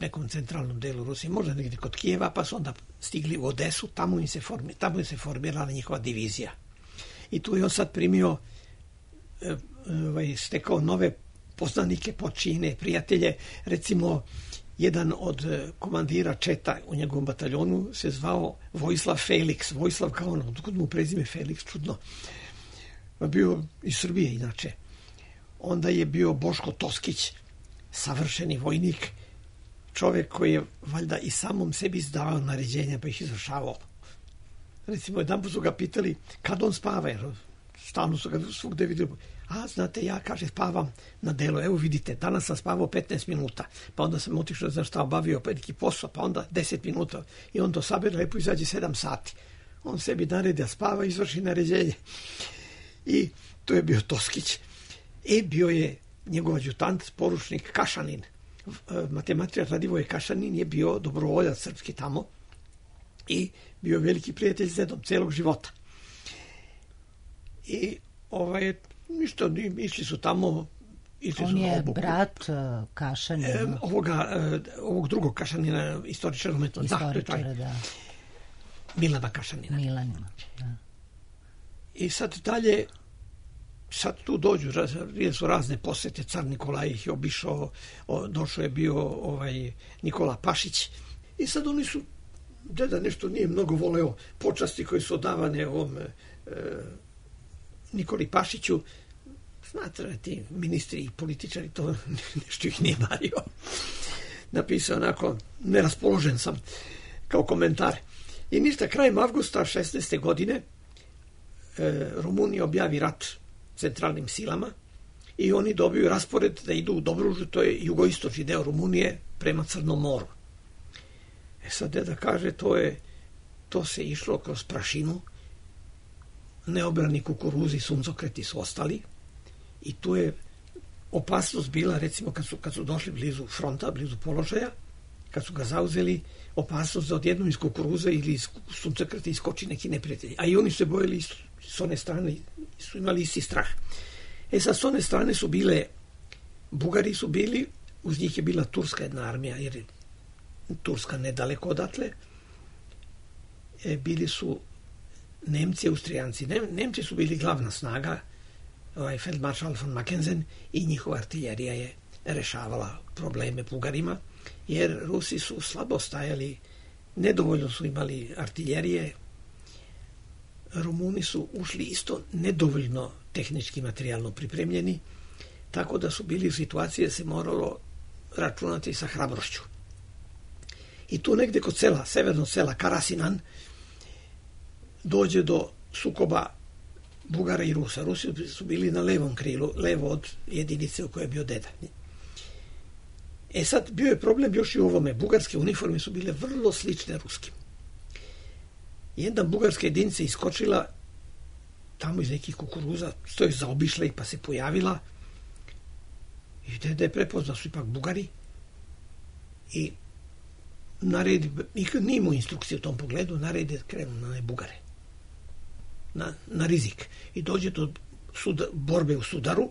nekom centralnom delu Rusije, možda negde kod Kijeva, pa su onda stigli u Odesu, tamo im se, formi, tamo im se formirala njihova divizija. I tu je on sad primio, ovaj, stekao nove poznanike, počine, prijatelje. Recimo, jedan od komandira četa u njegovom bataljonu se zvao Vojislav Felix. Vojislav kao ono, odkud mu prezime Felix, čudno. Bio iz Srbije, inače. Onda je bio Boško Toskić, savršeni vojnik, čovjek koji je valjda i samom sebi izdavao naređenja pa ih izvršavao. Recimo, jedan put su ga pitali kad on spava, jer stalno su ga svugde vidjeli. A, znate, ja, kaže, spavam na delu. Evo vidite, danas sam spavao petnaest minuta, pa onda sam otišao, znaš šta, obavio neki posao, pa onda deset minuta. I on to sabere, lepo izađe sedam sati. On sebi naredi da spava, izvrši naređenje. I to je bio Toskić. E, bio je njegov adjutant, poručnik Kašanin. Matematičar Radivoje Kašanin je bio dobrovoljac srpski tamo i bio veliki prijatelj s dedom celog života. I ovaj, ništa, išli su tamo. Išli On su je obuku. brat Kašanina. E, ovoga, ovog drugog Kašanina, istoričara umetnosti. Istoričara, da, da. Milana Kašanina. Milanina, da. I sad dalje, sad tu dođu, bile su razne posete, car Nikolaj ih je obišao, došao je bio ovaj Nikola Pašić. I sad oni su, deda nešto nije mnogo voleo počasti koje su odavane ovom e, Nikoli Pašiću. Znate, ti ministri i političari, to nešto ih nije mario. Napisao onako, neraspoložen sam, kao komentar. I ništa, krajem avgusta šesnaeste godine e, Rumunija objavi rat centralnim silama i oni dobiju raspored da idu u Dobružu, to je jugoistočni deo Rumunije, prema Crnom moru. E sad, deda kaže, to je, to se išlo kroz prašinu, neobrani kukuruzi, suncokreti su ostali i tu je opasnost bila, recimo, kad su, kad su došli blizu fronta, blizu položaja, kad su ga zauzeli, opasnost da odjednom iz kukuruza ili iz suncokreta iskoči neki neprijatelj. A i oni se bojili s one strane, su imali isti strah. E sad, s one strane su bile, Bugari su bili, uz njih je bila turska jedna armija, jer je Turska nedaleko odatle. E, bili su Nemci, Austrijanci. Nem, Nemci su bili glavna snaga, ovaj feldmaršal von Mackensen, i njihova artiljerija je rešavala probleme Bugarima, jer Rusi su slabo stajali, nedovoljno su imali artiljerije, Rumuni su ušli isto nedovoljno tehnički materijalno pripremljeni, tako da su bili u situaciji da se moralo računati sa hrabrošću. I tu negde kod sela, severnog sela Karasinan, dođe do sukoba Bugara i Rusa. Rusi su bili na levom krilu, levo od jedinice u kojoj je bio deda. E sad, bio je problem još i u ovome. Bugarske uniforme su bile vrlo slične ruskim. Jedna bugarska jedinica iskočila tamo iz nekih kukuruza, stoji zaobišla ih pa se pojavila i deda je prepoznao su ipak Bugari i naredi, nikad nije imao instrukcije u tom pogledu, naredi da krenu na ne Bugare. Na, na rizik. I dođe do suda, borbe u Sudaru,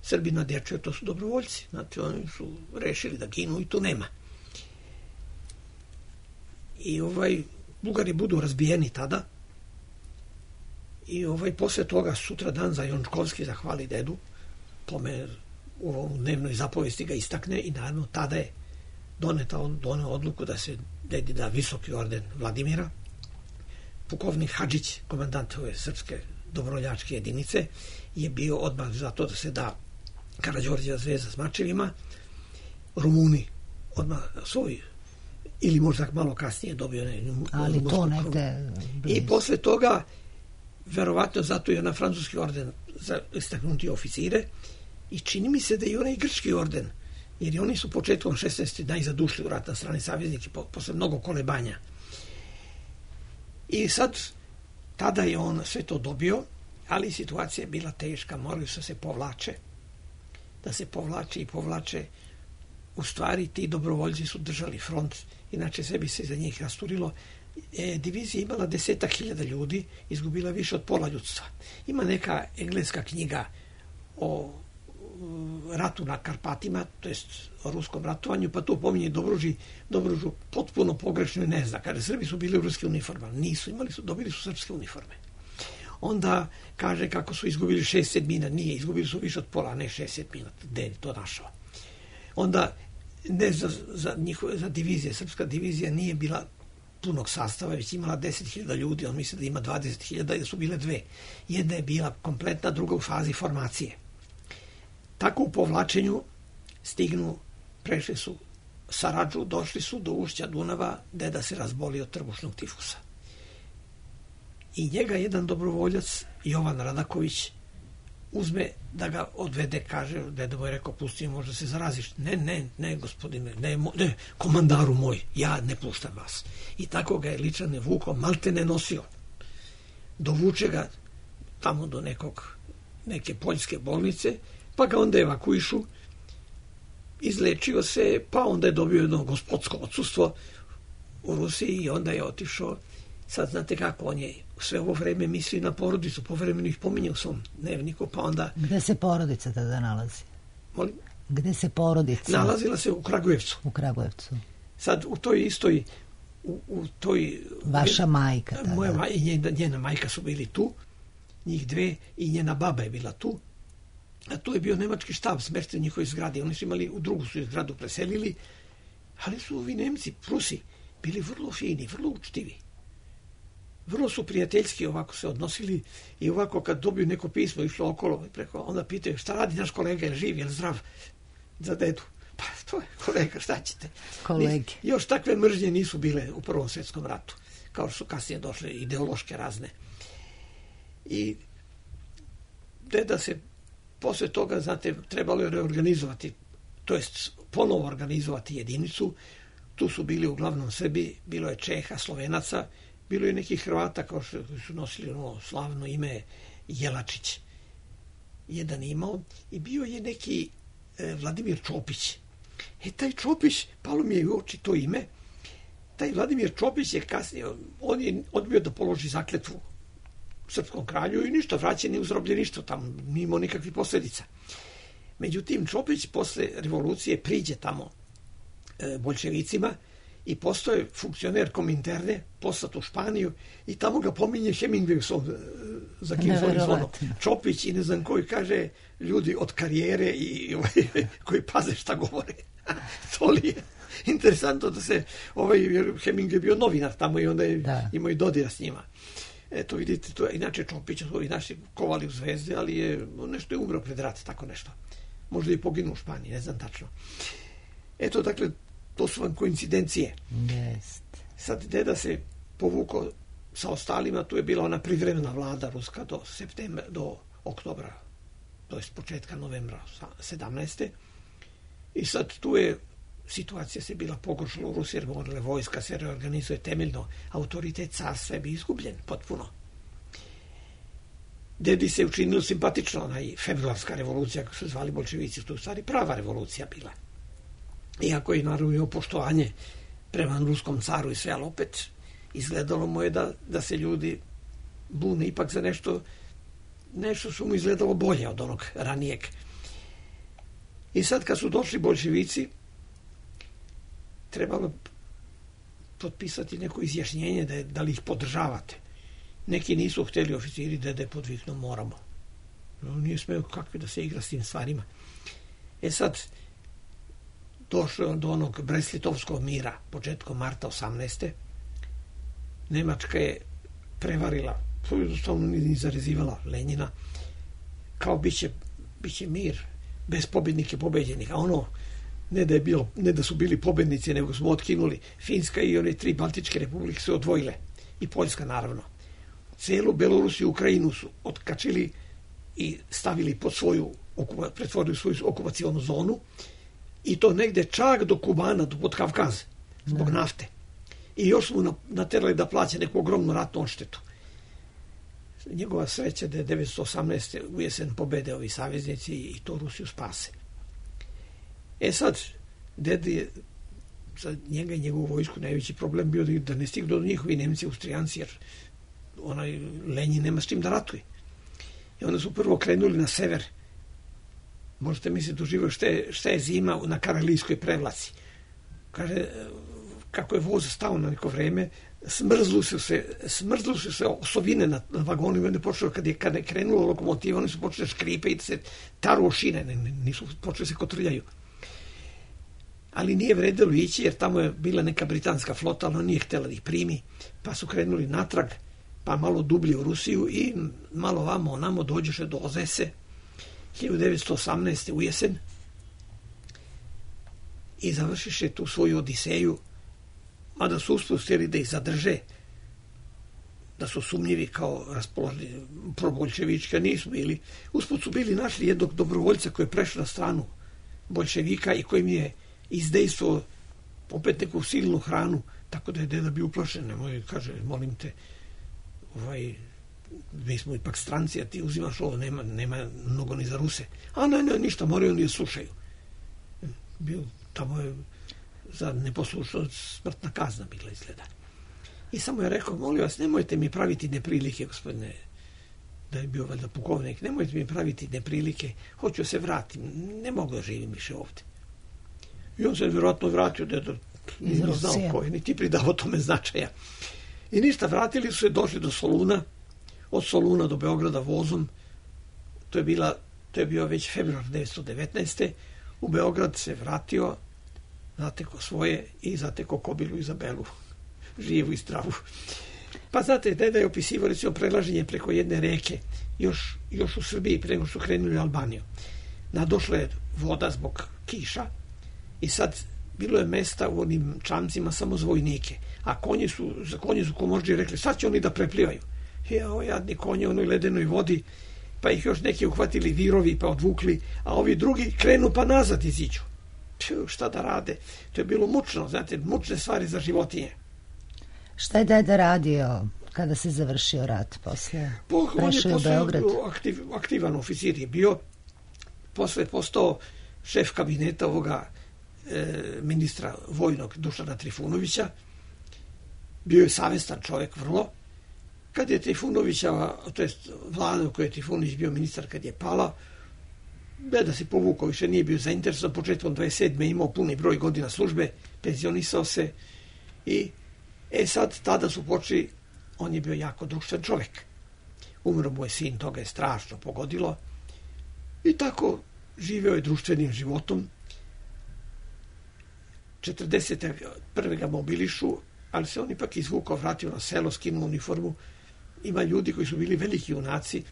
Srbi na dječaju, to su dobrovoljci. Znači, oni su rešili da ginu i tu nema. I ovaj, Bugari budu razbijeni tada I ovaj, posle toga sutra dan za Jončkovski zahvali dedu, Pomer u ovom dnevnoj zapovesti ga istakne i naravno tada je doneta on, doneo odluku da se dedi da visoki orden Vladimira. Pukovnik Hadžić, komandant ove srpske dobrovoljačke jedinice, je bio odmah za to da se da Karađorđeva zvezda s mačevima. Rumuni odmah svoj, ili možda malo kasnije dobio ne, ali to negde i posle toga verovatno zato je na francuski orden za istaknuti oficire i čini mi se da i onaj grčki orden, jer i oni su početkom šesnaeste najzadušli u rat na strani saveznike posle mnogo kolebanja. I sad tada je on sve to dobio, ali situacija je bila teška, morali su se povlače, da se povlače i povlače. U stvari ti dobrovoljci su držali front, inače sve bi se za njih rasturilo. E, divizija imala desetak hiljada ljudi, izgubila više od pola ljudstva. Ima neka engleska knjiga o ratu na Karpatima, to jest o ruskom ratovanju, pa to pominje Dobruži, Dobružu potpuno pogrešno i ne zna. Kaže, Srbi su bili u ruskim uniformama. Nisu, imali su, dobili su srpske uniforme. Onda kaže kako su izgubili šest sedmina, nije, izgubili su više od pola, ne šest sedmina, gde je to našao. Onda, ne za, za, njihove, za divizije, srpska divizija nije bila punog sastava, već imala deset hiljada ljudi, on misli da ima dvadeset hiljada i da su bile dve. Jedna je bila kompletna, druga u fazi formacije. Tako u povlačenju stignu, prešli su Saradžu, došli su do ušća Dunava, deda se razbolio od trbušnog tifusa. I njega jedan dobrovoljac, Jovan Radaković, uzme da ga odvede, kaže, deda mu je rekao, pusti, možda se zaraziš. Ne, ne, ne, gospodine, ne, ne, komandaru moj, ja ne puštam vas. I tako ga je Ličane vukao, malte ne nosio. Dovuče ga tamo do nekog, neke poljske bolnice, pa ga onda evakuišu, izlečio se, pa onda je dobio jedno gospodsko odsustvo u Rusiji i onda je otišao. Sad znate kako, on je sve ovo vreme misli na porodicu, povremeno ih pominje u svom dnevniku, pa onda... Gde se porodica tada nalazi? Molim? Gde se porodica? Nalazila se u Kragujevcu. U Kragujevcu. Sad u toj istoj... U, u toj... Vaša majka tada. Moja maj, i njena, njena majka su bili tu, njih dve, i njena baba je bila tu. A tu je bio nemački štab smešten u njihovoj zgradi. Oni su imali, u drugu su zgradu preselili, ali su ovi Nemci, Prusi, bili vrlo fini, vrlo učtivi. Vrlo su prijateljski ovako se odnosili i ovako kad dobiju neko pismo išlo okolo preko, onda pitaju šta radi naš kolega, je li živ, je li zdrav za dedu. Pa to je kolega, šta ćete? Kolege. Još takve mržnje nisu bile u Prvom svjetskom ratu, kao što su kasnije došle ideološke razne. I deda se posle toga, znate, trebalo je reorganizovati, to jest ponovo organizovati jedinicu. Tu su bili uglavnom Srbi, bilo je Čeha, Slovenaca, bilo je nekih Hrvata kao što su nosili ono slavno ime Jelačić. Jedan imao i bio je neki e, Vladimir Čopić. E, taj Čopić, palo mi je u oči to ime, taj Vladimir Čopić je kasnije, on je odbio da položi zakletvu srpskom kralju i ništa, vraćen je u zarobljeništvo, tamo nije imao nikakvih posljedica. Međutim, Čopić posle revolucije priđe tamo e, boljševicima i postoje funkcioner Kominterne, poslat u Španiju i tamo ga pominje Hemingway u svom za King's zvonom. Čopić i ne znam koji kaže ljudi od karijere i ovaj, koji paze šta govore. To li je interesantno da se ovaj, jer Hemingway je bio novinar tamo i onda je da. Imao i dodira s njima. Eto vidite, to je, inače Čopić su ovi naši kovali u Zvezde, ali je nešto je umro pred rat, tako nešto. Možda i poginuo u Španiji, ne znam tačno. Eto, dakle, to su vam koincidencije. Jest. Sad deda se povukao sa ostalima, tu je bila ona privremena vlada ruska do septembra, do oktobra, to je početka novembra sedamnaeste. I sad tu je situacija se bila pogoršala u Rusiji, jer morale vojska se reorganizuje temeljno, autoritet carstva je bi izgubljen potpuno. Dedi se učinilo simpatično, onaj februarska revolucija, kako su zvali bolševici, to je u stvari prava revolucija bila. Iako je naravno imao poštovanje prema ruskom caru i sve, ali opet izgledalo mu je da, da se ljudi bune ipak za nešto, nešto su mu izgledalo bolje od onog ranijeg. I sad kad su došli bolševici, trebalo potpisati neko izjašnjenje da, je, da li ih podržavate. Neki nisu htjeli oficiri, dede podviknu, moramo. On nije smeo kakvi da se igra s tim stvarima. E sad, došlo do onog Brest-Litovskog mira, početkom marta osamnaeste. Nemačka je prevarila, jednostavno ni zarezivala Lenjina, kao biće, biće mir, bez pobjednike pobeđenih. A ono, ne da, je bilo, ne da su bili pobednici, nego smo otkinuli. Finska i one tri Baltičke republike su odvojile. I Poljska, naravno. Celu Belorusiju i Ukrajinu su otkačili i stavili pod svoju, pretvorili svoju okupacionu zonu. I to negde čak do Kubana, do Podkavkaza, zbog nafte. I još smo naterali da plaća neku ogromnu ratnu odštetu. Njegova sreća da je devetsto osamnaeste u jesen pobede ovi saveznici i to Rusiju spase. E sad, dede je za njega i njegovu vojsku najveći problem bio da ne stignu do njihovi Nemci, Austrijanci, jer onaj Lenjin nema s čim da ratuje. I onda su prvo krenuli na sever. Možete misliti doživio šta je, šta je zima na Karalijskoj prevlaci. Kaže, kako je voz stao na neko vreme, smrzlu su se, smrzlu su se osovine na, na vagonima, ne počelo, kad je, kad je krenulo lokomotiva, oni su počeli škripe i da se taru o šine, ne, nisu počeli se kotrljaju. Ali nije vredelo ići, jer tamo je bila neka britanska flota, ali on nije htjela da ih primi, pa su krenuli natrag, pa malo dublje u Rusiju i malo vamo onamo dođeše do Ozese, hiljadu devetsto osamnaeste u jesen, i završiše tu svoju odiseju, mada su uspustili da ih zadrže, da su sumnjivi kao raspoloženi proboljševička, nisu bili. Usput su bili našli jednog dobrovoljca koji je prešao na stranu boljševika i kojim je izdejstvo opet neku silnu hranu, tako da je deda bio uplašen. Nemoj, kaže, molim te, ovaj, mi smo ipak stranci, a ti uzimaš ovo, nema, nema mnogo ni za Ruse. A ne, ne, ništa, moraju oni da slušaju. Bio, tamo je za neposlušnost smrtna kazna bila izgleda. I samo je rekao, molim vas, nemojte mi praviti neprilike, gospodine, da je bio valjda pukovnik, nemojte mi praviti neprilike, hoću se vratim, ne mogu da živim više ovdje. I on se vjerojatno vratio, da nije ni znao ko je, niti pridao tome značaja. I ništa, vratili su se, došli do Soluna, od Soluna do Beograda vozom, to je, bila, to je bio već februar devetsto devetnaeste. U Beograd se vratio, zateko svoje i zateko Kobilu Izabelu, živu i zdravu. Pa znate, deda je opisivao recimo prelaženje preko jedne reke, još, još u Srbiji, pre nego što krenuli u Albaniju. Nadošla je voda zbog kiša i sad bilo je mesta u onim čamcima samo za vojnike, a konji su, za konje su komožđi rekli, sad će oni da preplivaju. I ovo jadni konje u onoj ledenoj vodi, pa ih još neki uhvatili virovi pa odvukli, a ovi drugi krenu pa nazad iziđu. Pju, šta da rade? To je bilo mučno, znate, mučne stvari za životinje. Šta je deda radio kada se završio rat posle? Po, Prešao je u Beograd? Aktiv, aktivan oficir je bio, posle je postao šef kabineta ovoga e, ministra vojnog Dušana Trifunovića, bio je savestan čovjek vrlo. Kad je Trifunovića, to je vlada u kojoj je Trifunović bio ministar, kad je pala, deda se povukao, više nije bio zainteresovan, početkom dvadeset sedme imao puni broj godina službe, penzionisao se i e sad tada su počeli, on je bio jako društven čovjek. Umro mu je sin, toga je strašno pogodilo i tako živeo je društvenim životom. četrdeset prve ga mobilišu, ali se on ipak izvukao, vratio na selo, skinuo uniformu. Ima ljudi koji su bili veliki junaci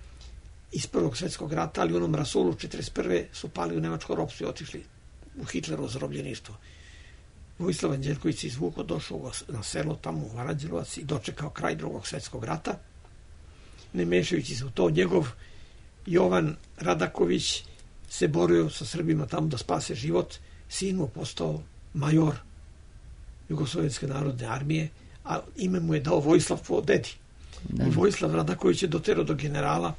iz Prvog svjetskog rata, ali u onom rasulu četrdeset prve su pali u nemačko ropstvo i otišli u Hitlerovo zarobljeništvo. Vojislav Anđelković se izvukao, došao na selo tamo u Aranđelovac i dočekao kraj Drugog svjetskog rata. Ne mešajući se u to, njegov Jovan Radaković se borio sa Srbima tamo da spase život. Sin mu postao major Jugoslovenske narodne armije, a ime mu je dao Vojislav po dedi. I Vojislav Radaković je doterao do generala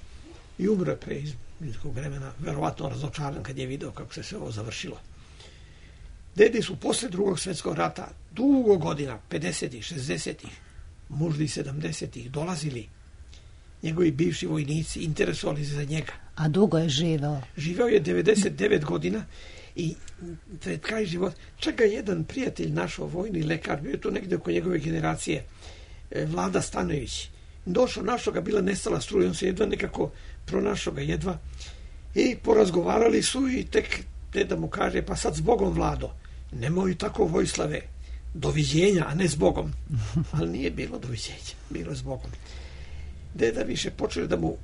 i umro je pre izbog vremena, verovatno razočaran kad je video kako se sve ovo završilo. Dedi su posle Drugog svjetskog rata dugo godina, pedesetih, šezdesetih, možda i sedamdesetih, dolazili njegovi bivši vojnici, interesovali se za njega. A dugo je živeo? Živeo je devedeset devet godina i pred kraj života, čak ga jedan prijatelj našao, vojni lekar, bio je to negde oko njegove generacije, Vlada Stanojević, došao, našao ga, bila nestala struja, on se jedva nekako pronašao ga jedva i porazgovarali su i tek deda mu kaže, pa sad s Bogom, Vlado, nemoj tako, Vojislave, doviđenja, a ne s Bogom. Ali nije bilo doviđenja, bilo je s Bogom. Deda više počeo da mu e,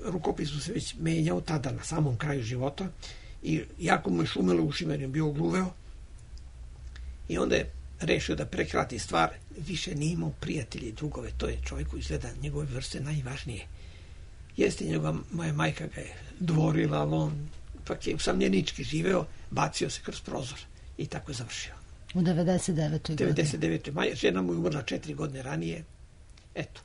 rukopisu se već menjao tada na samom kraju života i jako mu je šumelo u ušima jer je bio gluveo i onda je rešio da prekrati stvar, više nije imao prijatelji i drugove, to je čovjeku izgleda njegove vrste najvažnije. Jeste njegova, moja majka ga je dvorila, ali on pak je usamljenički živeo, bacio se kroz prozor i tako je završio. U devedeset devetoj godine. devedeset devetoj Maja, žena mu je umrla četiri godine ranije. Eto.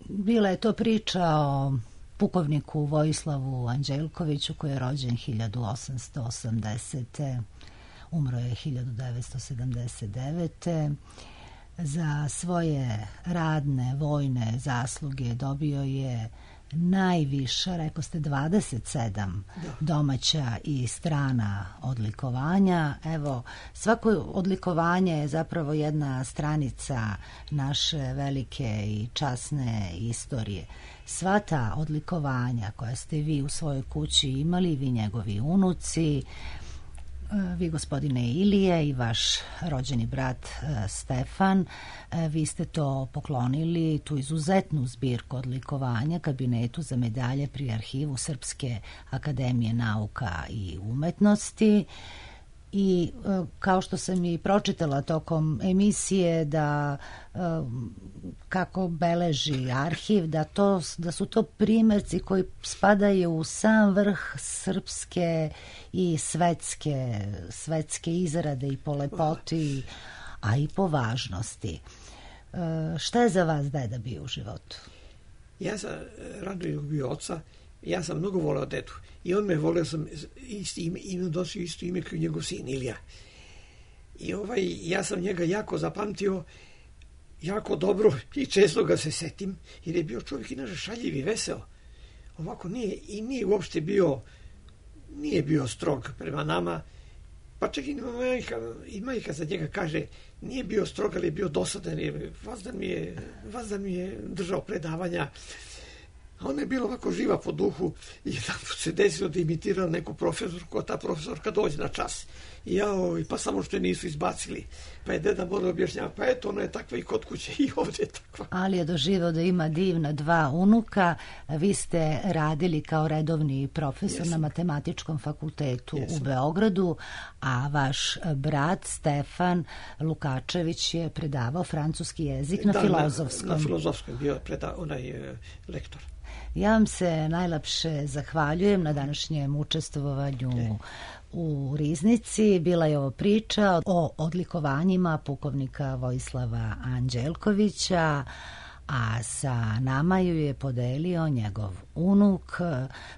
Bila je to priča o pukovniku Vojislavu Anđelkoviću koji je rođen hiljadu osamsto osamdesete umro je hiljadu devetsto sedamdeset devete Za svoje radne, vojne zasluge dobio je najviše, rekao ste, dvadeset sedam da. domaća i strana odlikovanja. Evo, svako odlikovanje je zapravo jedna stranica naše velike i časne istorije. Sva ta odlikovanja koja ste vi u svojoj kući imali, vi njegovi unuci, vi gospodine Ilije i vaš rođeni brat Stefan, vi ste to poklonili, tu izuzetnu zbirku odlikovanja kabinetu za medalje pri Arhivu Srpske akademije nauka i umetnosti. I kao što sam i pročitala tokom emisije da kako beleži arhiv, da, to, da su to primjerci koji spadaju u sam vrh srpske i svetske, svetske izrade i po lepoti, a i po važnosti. Šta je za vas deda bio u životu? Ja sam Radoju bio oca, ja sam mnogo voleo dedu. I on me voleo, sam isti ime, ime nosio isto ime kao njegov sin Ilija. I ovaj, ja sam njega jako zapamtio, jako dobro i često ga se setim, jer je bio čovjek inače šaljiv i veseo. Ovako nije, i nije uopšte bio, nije bio strog prema nama, pa čak i majka, i majka za njega kaže, nije bio strog, ali je bio dosadan, jer vazdan mi je, vazdan mi je držao predavanja. A ona je bila ovako živa po duhu i jedan put se desilo da imitirala neku profesorku, a ta profesorka dođe na čas. I ja, pa samo što je nisu izbacili. Pa je deda morao objašnjavati, pa eto, ona je takva i kod kuće i ovdje je takva. Ali je doživao da ima divna dva unuka. Vi ste radili kao redovni profesor Jesam. na Matematičkom fakultetu Jesam. u Beogradu, a vaš brat Stefan Lukačević je predavao francuski jezik na da, Filozofskom. Na, na Filozofskom bio preda, onaj e, lektor. Ja vam se najlepše zahvaljujem na današnjem učestvovanju e. u Riznici. Bila je ovo priča o odlikovanjima pukovnika Vojislava Anđelkovića, a sa nama ju je podelio njegov unuk,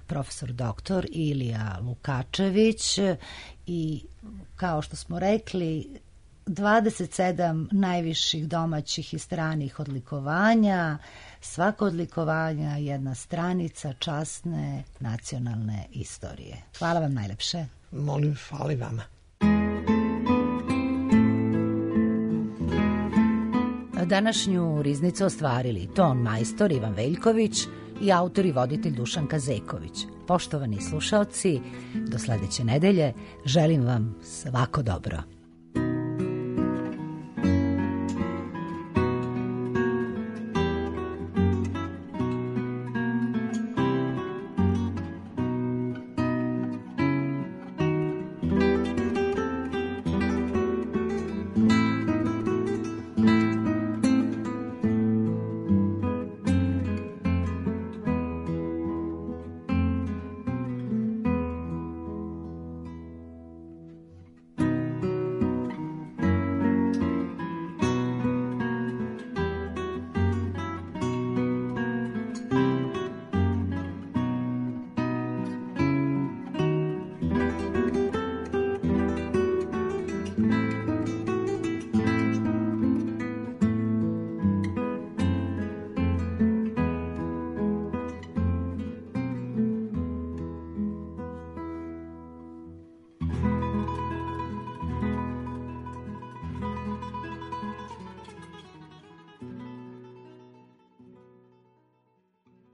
profesor doktor Ilija Lukačević. I kao što smo rekli, dvadeset sedam najviših domaćih i stranih odlikovanja, svako odlikovanja jedna stranica časne nacionalne istorije. Hvala vam najlepše. Molim, hvala vama. Današnju Riznicu ostvarili ton majstor Ivan Veljković i autor i voditelj Dušan Kazeković. Poštovani slušaoci, do sledeće nedelje želim vam svako dobro.